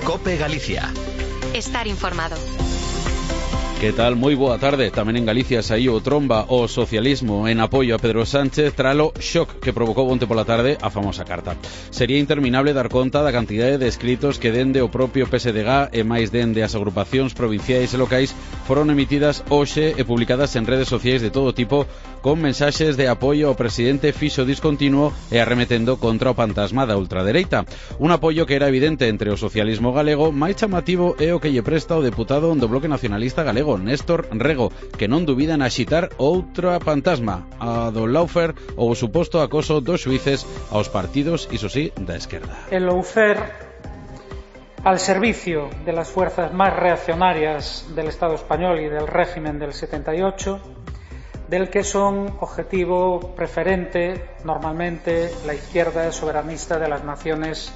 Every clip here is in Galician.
COPE Galicia. Estar informado. Que tal? Moi boa tarde. Tamén en Galicia saíu tromba o socialismo en apoio a Pedro Sánchez tralo shock que provocou onte pola tarde a famosa carta. Sería interminable dar conta da cantidade de escritos que dende o propio PSDG e máis dende as agrupacións provinciais e locais foron emitidas hoxe e publicadas en redes sociais de todo tipo con mensaxes de apoio ao presidente fixo discontinuo e arremetendo contra o fantasma da ultradereita. Un apoio que era evidente entre o socialismo galego, máis chamativo é o que lle presta o deputado do Bloque Nacionalista Galego, Néstor Rego, que non dubida en axitar outra fantasma, a do lawfare ou o suposto acoso dos xuíces aos partidos, iso sí, da esquerda. El lawfare al servicio de las fuerzas más reaccionarias del Estado español y del régimen del 78, del que son objetivo preferente normalmente la izquierda soberanista de las naciones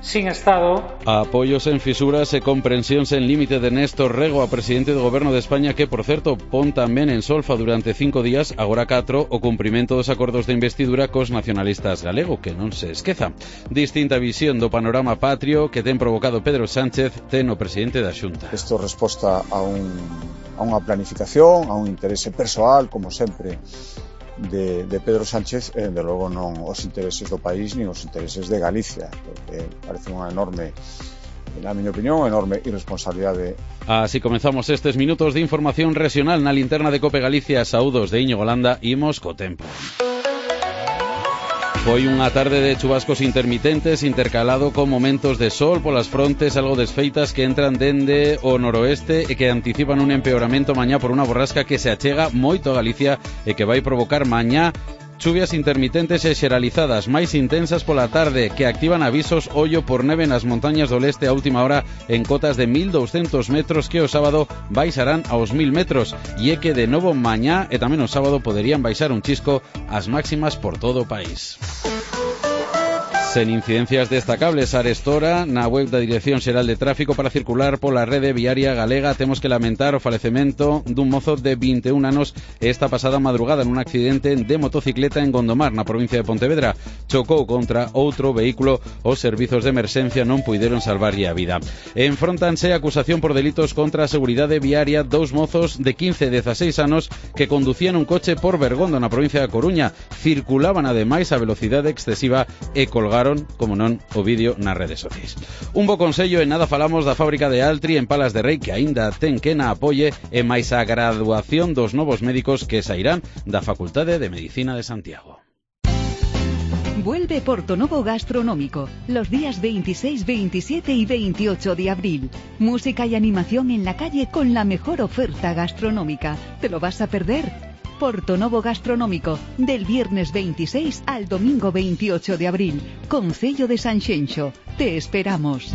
sin Estado. Apoios en fisuras e comprensións en límite de Néstor Rego a presidente do Goberno de España que, por certo, pon tamén en solfa durante 5 días, agora 4, o cumprimento dos acordos de investidura cos nacionalistas galego, que non se esqueza. Distinta visión do panorama patrio que ten provocado Pedro Sánchez ten o presidente da Xunta. Isto resposta a unha planificación, a un interese persoal, como sempre, de Pedro Sánchez, de logo non os intereses do país nin os intereses de Galicia, porque parece unha enorme, na miña opinión, enorme irresponsabilidade. Así comenzamos estes minutos de información regional na linterna de COPE Galicia. Saúdos de Íñigo Landa, imos co tempo. Foi unha tarde de chubascos intermitentes intercalado con momentos de sol polas frontes algo desfeitas que entran dende o noroeste e que anticipan un empeoramento mañá por unha borrasca que se achega moito a Galicia e que vai provocar mañá chuvias intermitentes e xeralizadas máis intensas pola tarde que activan avisos ollo por neve nas montañas do leste a última hora en cotas de 1200 metros que o sábado baixarán aos 1000 metros e é que de novo mañá e tamén o sábado poderían baixar un chisco as máximas por todo o país. Sen incidencias destacables arestora na web da Dirección Xeral de Tráfico para circular pola rede viaria galega temos que lamentar o falecemento dun mozo de 21 anos esta pasada madrugada nun accidente de motocicleta en Gondomar, na provincia de Pontevedra. Chocou contra outro vehículo, os servizos de emerxencia non puideron salvarlle a vida. Enfróntanse a acusación por delitos contra a seguridade viaria dous mozos de 15 e 16 anos que conducían un coche por Bergondo na provincia da Coruña. Circulaban ademais a velocidade excesiva e colgaron, como non, o vídeo nas redes sociais. Un bo consello e nada falamos da fábrica de Altri en Palas de Rei que aínda ten que na apoie e máis a graduación dos novos médicos que sairán da Facultade de Medicina de Santiago. Vuelve Portonovo Gastronómico los días 26, 27 y 28 de abril. Música y animación en la calle con la mejor oferta gastronómica. ¿Te lo vas a perder? Portonovo Gastronómico, del viernes 26 al domingo 28 de abril. Concello de Sanxenxo. Te esperamos.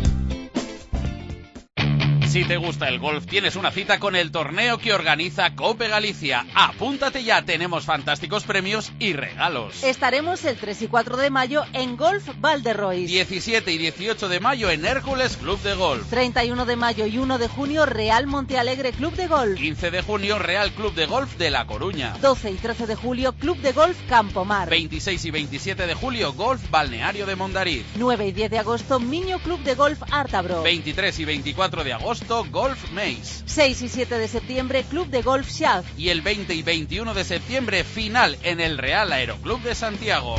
Si te gusta el golf, tienes una cita con el torneo que organiza COPE Galicia. Apúntate ya, tenemos fantásticos premios y regalos. Estaremos el 3 y 4 de mayo en Golf Valderrois. 17 y 18 de mayo en Hércules Club de Golf. 31 de mayo y 1 de junio Real Montealegre Club de Golf. 15 de junio Real Club de Golf de La Coruña. 12 y 13 de julio Club de Golf Campomar. 26 y 27 de julio Golf Balneario de Mondariz. 9 y 10 de agosto Miño Club de Golf Ártabro. 23 y 24 de agosto Golf Maze. 6 y 7 de septiembre Club de Golf Xaz. Y el 20 y 21 de septiembre final en el Real Aeroclub de Santiago.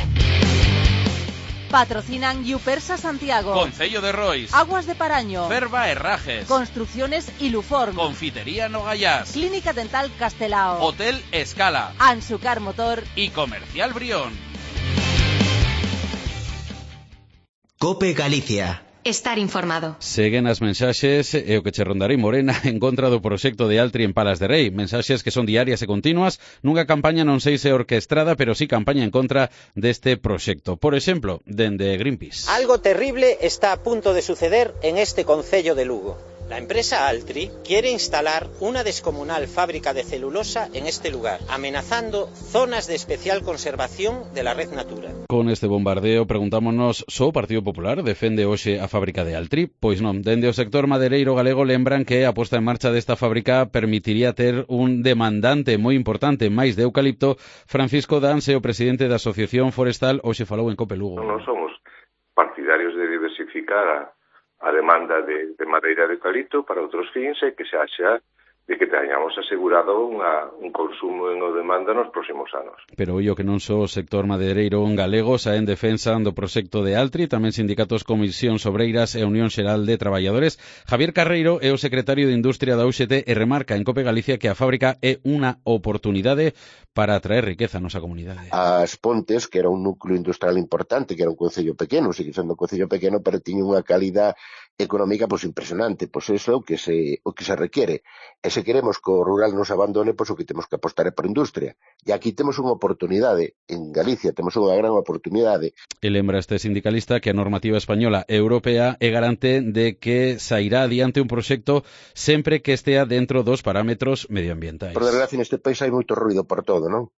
Patrocinan Yupersa Santiago, Concello de Rois, Aguas de Paraño, Ferva Herrajes, Construcciones Iluform, Confitería Nogayás, Clínica Dental Castelao, Hotel Escala, Ansucar Motor y Comercial Brión. COPE Galicia. Estar informado. Seguen as mensaxes e o que che rondarei Morena en contra do proxecto de Altri en Palas de Rei. Mensaxes que son diarias e continuas nunha campaña non sei se orquestrada, pero sí campaña en contra deste proxecto. Por exemplo, dende Greenpeace. Algo terrible está a punto de suceder en este concello de Lugo. La empresa Altri quiere instalar una descomunal fábrica de celulosa en este lugar, amenazando zonas de especial conservación de la red Natura. Con este bombardeo preguntámonos, só o Partido Popular defende hoxe a fábrica de Altri? Pois non, dende o sector madereiro galego lembran que a posta en marcha desta fábrica permitiría ter un demandante moi importante máis de eucalipto. Francisco Danse, o presidente da Asociación Forestal, hoxe falou en COPE Lugo. Non somos partidarios de diversificar a demanda de madeira de eucalipto para outros fins e que se haxa de que teñamos asegurado un consumo e unha demanda nos próximos anos. Pero ollo que non só o sector madeireiro galego sae en defensa do proxecto de Altri, tamén sindicatos Comisións Obreiras e Unión Xeral de Traballadores. Javier Carreiro é o secretario de Industria da UGT e remarca en Cope Galicia que a fábrica é unha oportunidade para atraer riqueza a nosa comunidade. As Pontes, que era un núcleo industrial importante, que era un concello pequeno, sigue sendo un concello pequeno, pero tiña unha calidad económica impresionante, iso é o que se requiere. E se queremos que o rural nos abandone, o que temos que apostar é por industria. E aquí temos unha oportunidade, en Galicia temos unha gran oportunidade. E lembra este sindicalista que a normativa española e europea é garante de que sairá adiante un proxecto sempre que estea dentro dos parámetros medioambientais. Por desgracia, neste país hai moito ruido por todo, non?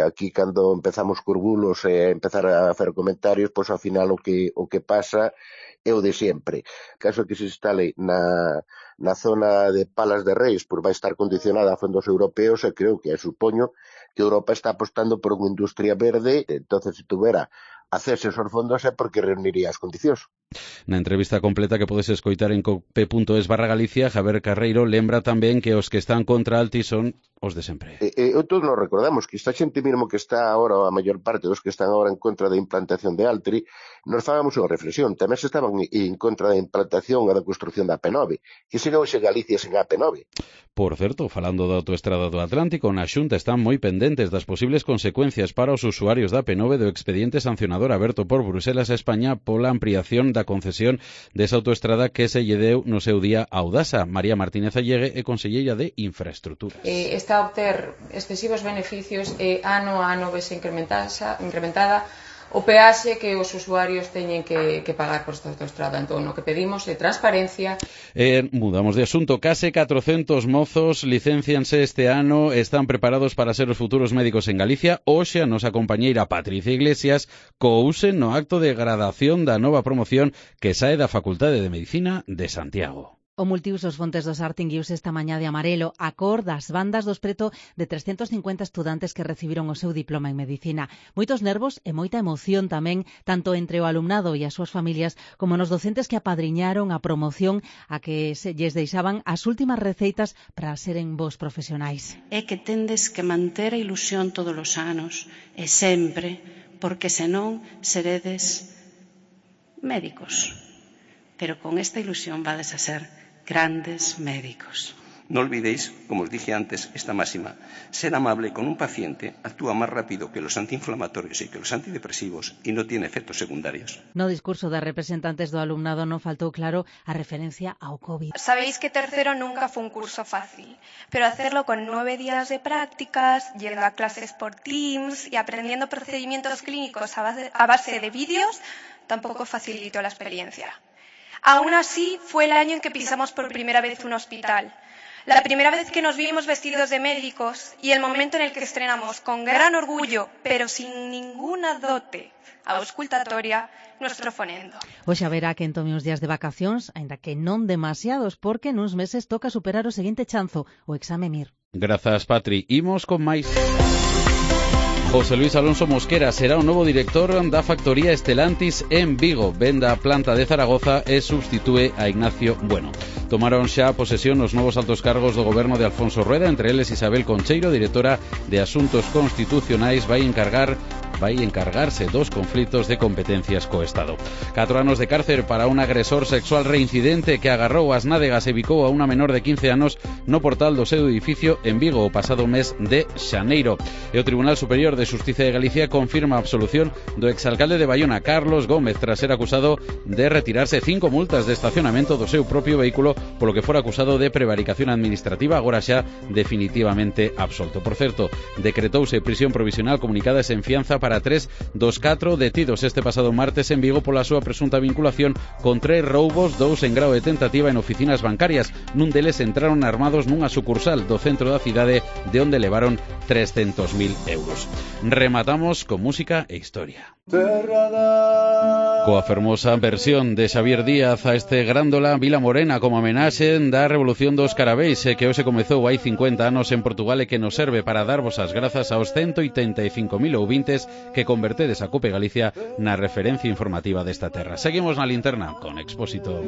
Aquí, cando empezamos cos bulos e empezar a facer comentarios, ao final o que pasa é o de sempre. Caso que se instale na zona de Palas de Reis, vai estar condicionada a fondos europeos e creo que supoño que Europa está apostando por unha industria verde, entonces se tuvera acceso aos fondos é porque reuniría as condicións. Na entrevista completa que podes escoitar en cope.es/Galicia, Javier Carreiro lembra tamén que os que están contra Altri son os de sempre. Todos nos recordamos que esta xente mesmo que está agora, a maior parte dos que están agora en contra da implantación de Altri, nos fagamos unha reflexión. Tamén se estaban en contra da implantación e da construción da AP9, que sería hoxe Galicia sen AP9. Por certo, falando da autoestrada do Atlántico, na Xunta están moi pendentes das posibles consecuencias para os usuarios da AP9 do expediente sancionador aberto por Bruselas a España pola ampliación da concesión desa autoestrada que se lle deu no seu día a Audasa. María Martínez Allegue é conselleira de Infraestructuras. Está a obter excesivos beneficios e ano a ano vese incrementada o peaxe que os usuarios teñen que pagar por esta autoestrada. Entón, o que pedimos é transparencia. Mudamos de asunto. Case 400 mozos licencianse este ano, están preparados para ser os futuros médicos en Galicia. Hoxe a nosa compañeira Patricia Iglesias couse no acto de gradación da nova promoción que sae da Facultade de Medicina de Santiago. O multiusos Fontes do Sar tinguiuse esta mañá de amarelo a cor das bandas dos preto de 350 estudantes que recibiron o seu diploma en Medicina. Moitos nervos e moita emoción tamén, tanto entre o alumnado e as súas familias, como nos docentes que apadriñaron a promoción a que se lles deixaban as últimas receitas para seren bons profesionais. É que tendes que manter a ilusión todos os anos e sempre, porque senón seredes médicos. Pero con esta ilusión vades a ser grandes médicos. No olvidéis, como os dije antes, esta máxima. Ser amable con un paciente actúa más rápido que los antiinflamatorios y que los antidepresivos y no tiene efectos secundarios. No discurso de representantes do alumnado non faltou claro a referencia ao COVID. Sabéis que tercero nunca fue un curso fácil, pero hacerlo con 9 días de prácticas, yendo a clases por Teams y aprendiendo procedimientos clínicos a base de vídeos, tampoco facilitó la experiencia. Aún así, fue el año en que pisamos por primera vez un hospital. La primera vez que nos vimos vestidos de médicos y el momento en el que estrenamos con gran orgullo, pero sin ninguna dote auscultatoria, nuestro fonendo. Hoxe haberá que tome uns días de vacacións, aínda que non demasiados, porque nuns meses toca superar o seguinte chanzo, o exame MIR. Grazas, Patri. Imos con máis. José Luis Alonso Mosquera será o novo director da factoría Estelantis en Vigo. Venda a planta de Zaragoza e substitúe a Ignacio Bueno. Tomaron xa posesión os novos altos cargos do goberno de Alfonso Rueda, entre eles Isabel Concheiro, directora de Asuntos Constitucionais, vai encargarse dos conflitos de competencias co Estado. 4 anos de cárcel para un agresor sexual reincidente que agarrou as nádegas e bicou a unha menor de 15 anos no portal do seu edificio en Vigo o pasado mes de xaneiro. E o Tribunal Superior de Xustiza de Galicia confirma a absolución do exalcalde de Baiona, Carlos Gómez, tras ser acusado de retirarse 5 multas de estacionamento do seu propio vehículo polo que fora acusado de prevaricación administrativa, agora xa definitivamente absolto. Por certo, decretouse prisión provisional comunicada e sen fianza para 3 dos 4 detidos este pasado martes en Vigo pola súa presunta vinculación con 3 roubos, 2 en grao de tentativa en oficinas bancarias. Nun deles entraron armados nunha sucursal do centro da cidade de onde levaron 300.000 euros. Rematamos con música e historia. Coa fermosa versión de Xavier Díaz a este grándola Vila Morena como homenaxe da Revolución dos Carabeis que hoxe comezou hai 50 anos en Portugal e que nos serve para darvos as grazas aos 185.000 ouvintes que convertedes a Cope Galicia na referencia informativa desta terra. Seguimos na linterna con Expósito.